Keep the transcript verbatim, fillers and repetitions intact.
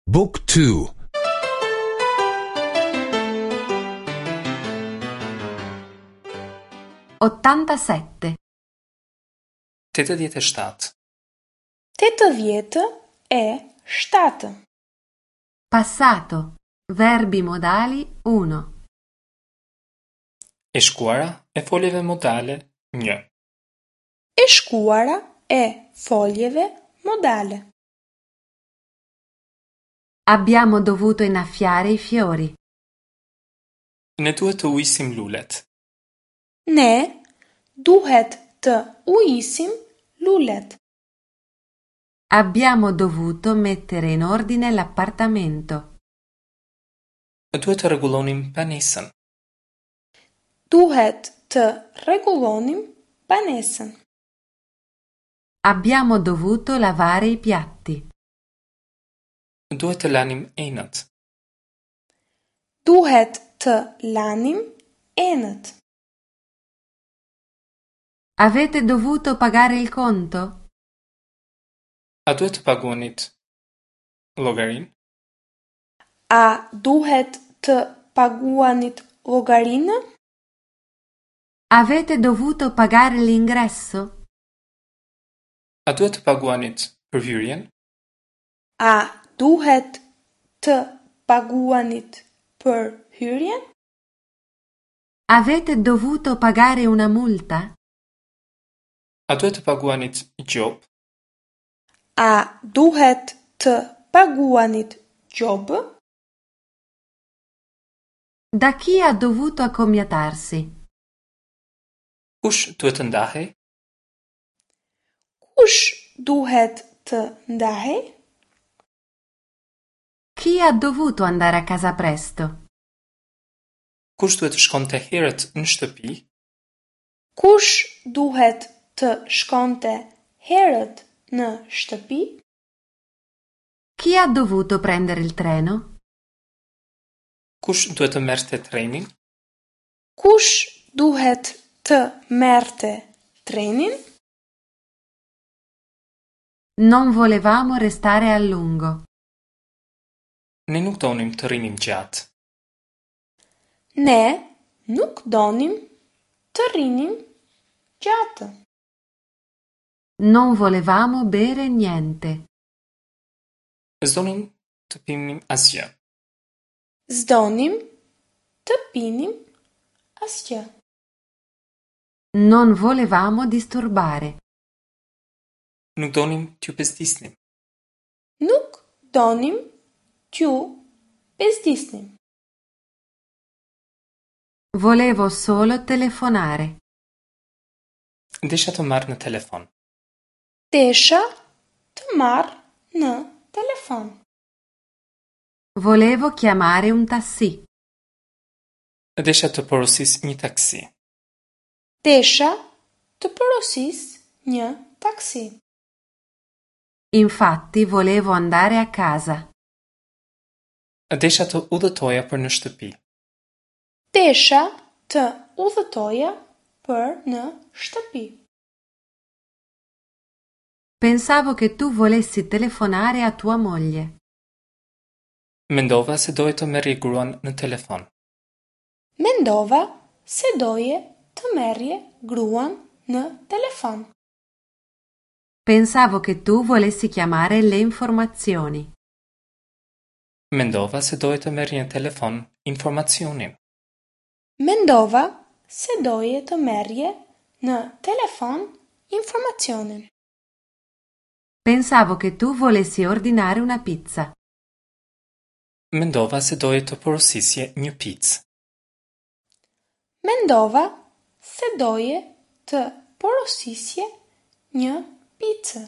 Book two. Ottantasette. Tetëdhjetë e shtatë. Tetëdhjetë e shtatë. Passato. Verbi modali uno. E shkuara e foljeve modale një. E shkuara e foljeve modale. Abbiamo dovuto innaffiare i fiori. Ne duhet të ujisim lulet. Ne duhet të ujisim lulet. Abbiamo dovuto mettere in ordine l'appartamento. Duhet të rregullonim banesën. Duhet të rregullonim banesën. Abbiamo dovuto lavare i piatti. Duhet të lanim enët. Duhet të lanim enët. Avete dovuto pagare il conto? A duhet të paguanit llogarinë? A duhet të paguanit llogarinë? Avete dovuto pagare l'ingresso? A duhet të paguanit për hyrjen? A duhet të paguanit për hyrjen? Avete dovuto pagare una multa? A duhet të paguanit gjobë? A duhet të paguanit gjobë? Da chi ha dovuto accomiatarsi? Kush duhet të ndahej? Kush duhet të ndahej? Chi ha dovuto andare a casa presto? Kush duhet të shkonte herët në shtëpi? Kush duhet të shkonte herët në shtëpi? Chi ha dovuto prendere il treno? Kush duhet të merrte trenin? Kush duhet të merrte trenin? Non volevamo restare a lungo. Ne nuk donim të rrinim gjatë. Ne nuk donim të rrinim gjatë. Non volevamo bere niente. S'donim të pinim asgjë. S'donim të pinim asgjë. Non volevamo disturbare. Nuk donim t'ju bezdisnim. Nuk donim t'ju bezdisnim. Volevo solo telefonare. Desha të marr në telefon. Desha të marr në telefon. Volevo chiamare un tassì. Desha të porosis një taksi. Desha të porosis një taksi. Infatti volevo andare a casa. Desha të udhëtoja për në shtëpi. Desha të udhëtoja për në shtëpi. Pensavo che tu volessi telefonare a tua moglie. Mendova se doje të merrje gruan në telefon. Mendova se doje të merrje gruan në telefon. Pensavo che tu volessi chiamare le informazioni. Mendova se doje të merrje në telefon informacionin. Mendova se doje të merrje në telefon informacionin. Pensavo che tu volessi ordinare una pizza. Mendova se doje të porosisje një picë. Mendova se doje të porosisje një picë.